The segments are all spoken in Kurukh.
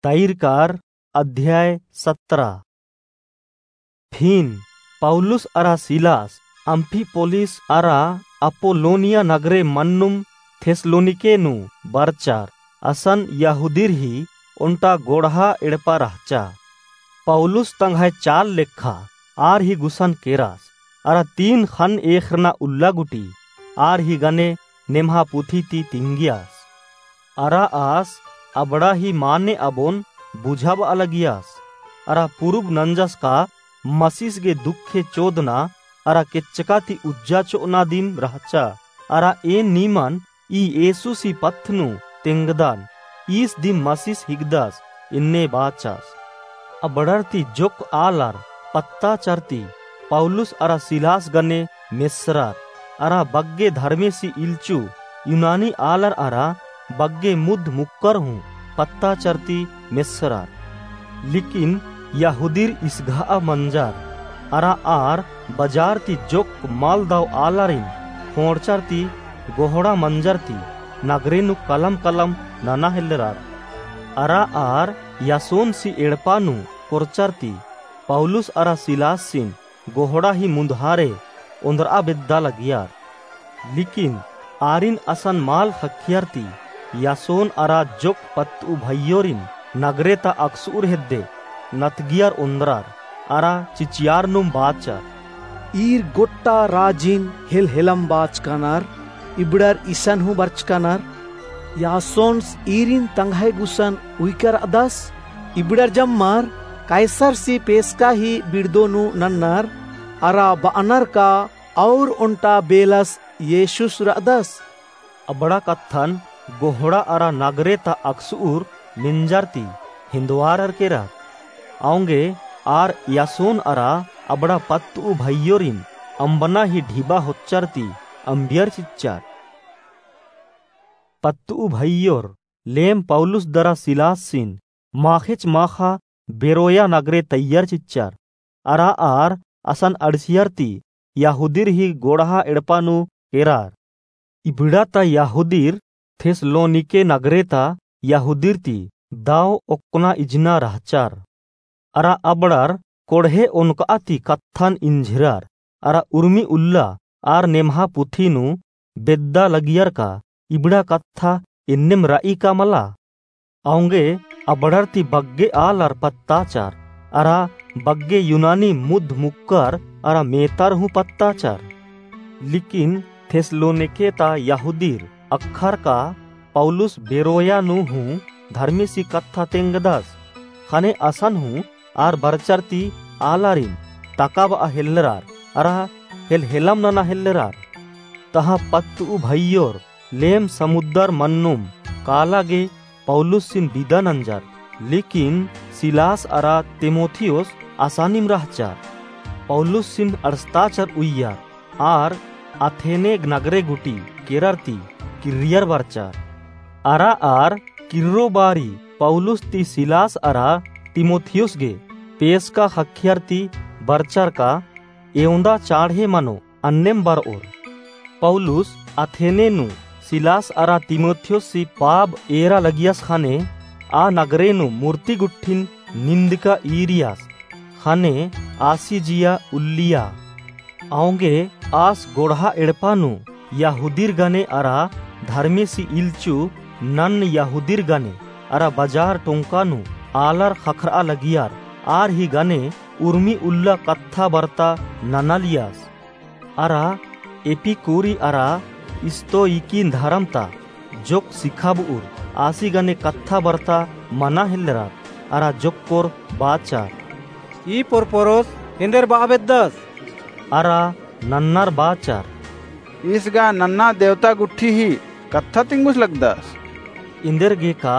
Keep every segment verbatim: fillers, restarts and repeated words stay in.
तैरकार। अध्याय सतरा। फिन पौलुस अरा सिलास अम्फिपोलिस अरा अपोलोनिया नगरे मन्नुम थेस्सलोनिके नू बरचर। असन यहूदीर ही ओन्टा गोड़हा एड़पा रहचा। पौलुस तंग्है चाल लेखा आर ही गुसन केरस, अरा तीन ख़न्न एख़रना उल्ला गूटी आर ही गने नेम्हा पुथी ती तिंगियस। अरा आस अबड़ा ही माने अबोन बुझाबआ लगियस, अरा पुरुब नंजस का मसीस गे दुखे चोदना अरा केच्चका ती उज्जा चोअना दिम रहचा। अरा एन नीमन ई येसुसी पत्त नू तेंगदन, ईस दिम मसीस हिकदस एन्ने बाचस। अबड़र ती जोक्क आलर पत्ताचर ती पौलुस अरा सिलास गने मेस्सरर, अरा बग्गे धर्मेसी इल्चु यूनानी आलर अरा बग्गे मुद्ध मुक्कर हूँ पत्ताचर ती मेस्सरर। लेकिन यहूदीर इसघाआ मंजर, अरा आर बजार ती जोक्क मल दव आलारिन ख़ोंड़चर ती गोहड़ा मंजर ती नगरे नू कलम कलम नना हेल्लरर। अरा आर यासोनसी एड़पा नू कोरचर ती पौलुस अरा सिलासिन गोहड़ा ही मुन्दहारे ओन्द्रआ बेद्दा लगियर। लेकिन आरिन असन मल ख़क्खियर ती यासोन अरा जोक्क पत्तऊ भइयोरिन नगरे ता अकसुर हेद्दे नतगियर ओन्द्रर अरा चिचियारनुम बाचर, ईर गोट्टा राजिन हेलहेलम बाचकानर, इबड़र इसन हूँ बरचकानर। यासोन्स ईरिन तंग्है गुसन उइकर अदस, इबड़र जम्मर कैसरसी पेसका ही बिड़दो नू नन्नर, अरा बअनर का और ओन्टा बेलस येसुस रअदस। अबड़ा कत्थन गोहड़ा अरा नगरे ता अकसुर मेंजर ती हिन्दवारर केरर। औंगे आर यासोन अरा अबड़ा पत्तऊ भइयोरिन अम्बना ही ढिबा होच्चर ती अम्बियर चिच्चर। पत्तऊ भइयोर लेम पौलुस दरा सिलासिन माख़ेच माख़ा बेरोया नगरे तइयर चिच्चर। अरा आर असन अंड़सियर ती यहूदीर ही गोड़हा एड़पा नू केरर। इबड़ा ता यहूदीर थेस्सलोनिके नगरे ता यहूदीर ती दव ओक्कना इजना रहचर। अरा अबड़र कोड़हे ओनकआ ती कत्थन इंझिरर, अरा उर्मी उल्ला आर नेम्हा पुथी नू बेद्दा लगियर का इबड़ा कत्था एन्नेम रई का मला। औंगे अबड़र ती बग्गे आलर पत्ताचर, अरा बग्गे यूनानी मुद्ध मुक्कर अरा मेतर हूँ पत्ताचर। लेकिन थेस्सलोनिके ता यहूदीर अख़र का पौलुस बेरोया नू हूँ धर्मेसी कत्था तेंगदस। ख़ने असन हूँ आर बरचर ती आलारिन तकाबआ हेल्लरर, अरा हेलहेलम नना हेल्लरर। तहाँ पत्तऊ भइयोर लेम समुद्दर मन्नुम काला गे पौलुसिन बिदा नंजर। लेकिन सिलास अरा तीमुथियुस असानिम रहचर। पौलुसिन अंड़सताचर उइयर, आर अथेने नगरे गूटी केरर ती किर्रियर बरचर। अरा आर किर्रो बारी पौलुस ती सिलास अरा तीमुथियुस गे पेसका ख़क्खियर ती बरचर का एवंदा चाँड़हे मनो अन्नेम बरओर। पौलुस अथेने नू सिलास अरा तीमुथियुसी पाब एरा लगियस ख़ने आ नगरे नू मूर्ति गुट्ठिन निंदका ईरियस। ख़ने आसी जिया उल्लिया। औंगे आस गोड़हा एड़पा नू यहूदीर गने अरा धर्मेसी इल्चु नन्ना यहूदीर गने अरा बजार टोंका नू आलर ख़क्खरआ लगियर, आर ही गने उर्मी उल्ला कत्था बरता ननालियस। अरा एपिकुरी अरा स्तोइकी धरम ता जोक्क सिखाबउर आसी गने कत्था बरता मना हेल्लरर, अरा जोक्कोर बाचर, ई पोरपोरोस एन्देर बआ बेद्दस? अरा नन्नर बाचर, ईस गा नन्ना देवता गुट्ठी ही कत्था तिंगुस लगदस। एन्देरगेका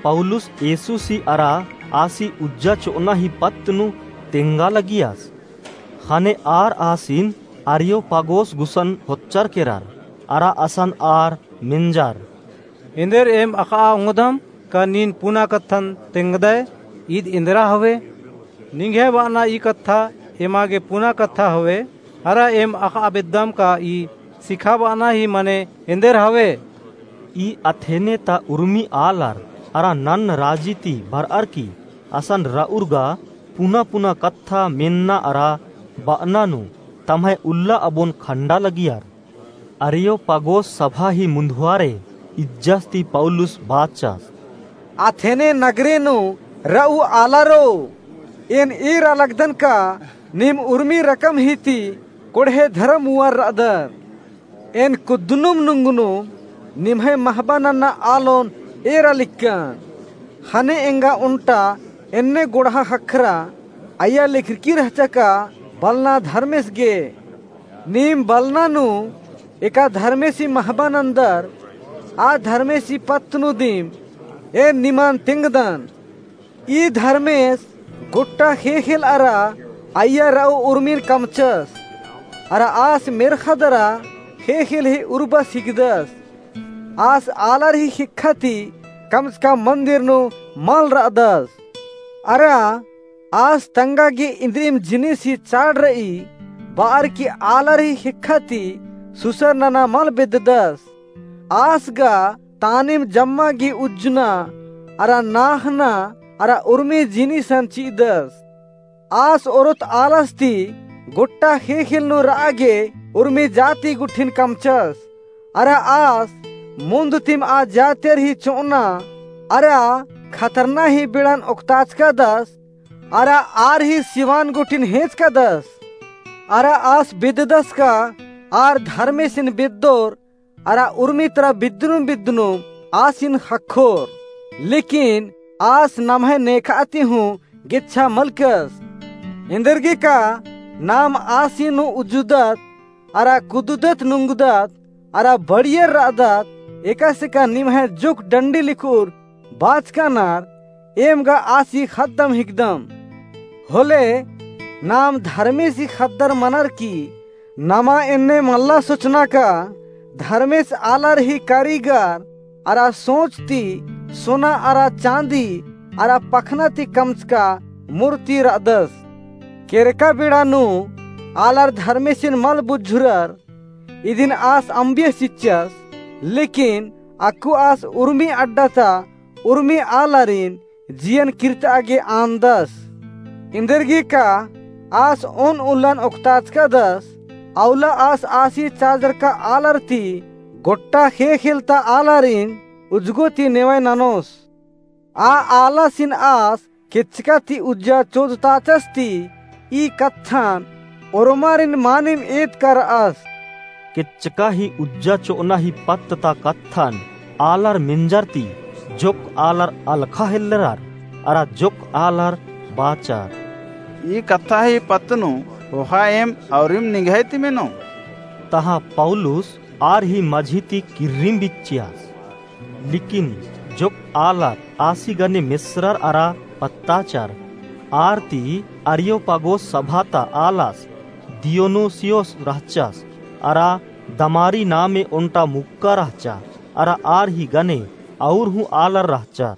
पौलुस येसुसी अरा आसी उज्जा चोअना ही पत्त नू तेंगा लगियस। ख़ने आर आसिन अरियोपागोस गुसन होच्चर केरर, अरा असन आर मेंजर, एन्देर एम अख़आ ओंगदम का नीन पुना कत्थन तेंगदय, ईद एन्देरा हवे? निंग्है बअना ई कत्था एमा गे पुना कत्था हवे, अरा एम अख़आ बेद्दम का ई सिखाबअना ही मने एन्देर हवे? ई अथेने ता उर्मी आलर अरा नन्ना राजी ती बरअर की असन रउर गा पुना पुना कत्था मेन्ना अरा बअना नू तम्है उल्ला अबोन खंडा लगियर। अरियोपागोस सभा ही मुन्दुवारे इज्जस ती पौलुस बाचस। अथेने नगरे नू रऊ आलारो, एन एरा लगदन का नीम उर्मी रकम ही ती कोड़हे धरम मुअर रअदर। एन कुद्दनुम नुंगनुम निम्है महबा नन्ना आलोन एरा लिक्कन। ख़ने एंगा ओन्टा एन्ने गोड़हा ख़क्खरा अइय्या लेखरकी रहचा का बलना धर्मेस गे। नीम बलना नू एका धर्मेसी महबा नन्दर आ धर्मेसी पत्त नू दिम एन निमन तेंगदन। ई धर्मेस गोट्टा ख़ेख़ेल अरा अइय्या रऊ उर्मिन कमचस। अरा आस मेर्ख़ा दरा ख़ेख़ेल ही उर्बस हिकदस। आस आलर ही ख़ेक्खा ती कमचका मन्दिर नू मल रअदस। अरा आस तंगा गे इन्द्रिम जिनिस ही चाड़ रई बअर की आलर ही ख़ेक्खा ती सुसर नना मल बेद्ददस। आस गा तानिम जम्मा गे उज्जना अरा नाख़ना अरा उर्मी जिनिसन चिअदस। आस ओरोत आलस ती गोट्टा ख़ेख़ेल नू रआ गे उर्मी जाति गुट्ठिन कमचस। अरा आस मुन्द तिम आ जातिर ही चोअना अरा खतरना ही बेड़न ओक्ताचकादस। अरा आर ही सिवान गुट्ठिन हेंचकादस। अरा आस बेद्ददस का आर धर्मेसिन बेद्दोर अरा उर्मी तरा बिद्दनुम बिद्दनुम आसिन ख़क्खोर। लेकिन आस नम्है नेखा ती हूँ गेच्छा मलकस। एन्देरगे का नाम आसिन हूँ उज्जुदत अरा कुदुदत नुंगुदत अरा बड़ियर रअदत, एकासे का निम्है जोक डंडी लिखुर बाचकानर, एम गा आसी ख़द्दम हिकदम। होले नाम धर्मेसी ख़द्दर मनर की नमा एन्ने मल्ला सोचना का धर्मेस आलर ही कारीगर अरा सोच ती सोना अरा चाँदी अरा पखना ती कमचका मूर्ति रअदस। केरका बेड़ा नू आलर धर्मेसिन मल बुझुरर। इदिन आस अम्बियस चिच्चस, लेकिन अक्कु आस उर्मी अड्डा ता उर्मी आलारिन जियन किर्तआ गे आन्दस। इन्देरगे का आस ओन उल्लन ओक्ताचकादस, अउला आस आसी चाजरका आलर ती गोट्टा ख़ेख़ेल ता आलारिन उज्जगो ती नेवय ननोस। आ आलासिन आस केच्चका ती उज्जा चोदताचस ती ई कत्थन ओर्मारिन मानिम एदका रअस। केच्चका ही उज्जा चोअना ही पत्त ता कत्थन आलर मेंजर ती जोक आलर अलख़ा हेल्लरर अरा जोक आलर बाचर। ई कत्था ही पत्त नू ख़ोख़ा एम अउरिम निंग्है ती मेनो। तहाँ पौलुस आर ही मझी ती किर्रिम बिच्चियस। लेकिन जोक आलर आसी गने मेसरर अरा पत्ताचर। आर ती अरियोपागोस सभा ता आलस दियोनुसियोस रहचस, अरा दमारी नामे ओन्टा मुक्का रहचा, अरा आर ही गने अउर हूँ आलर रहचर।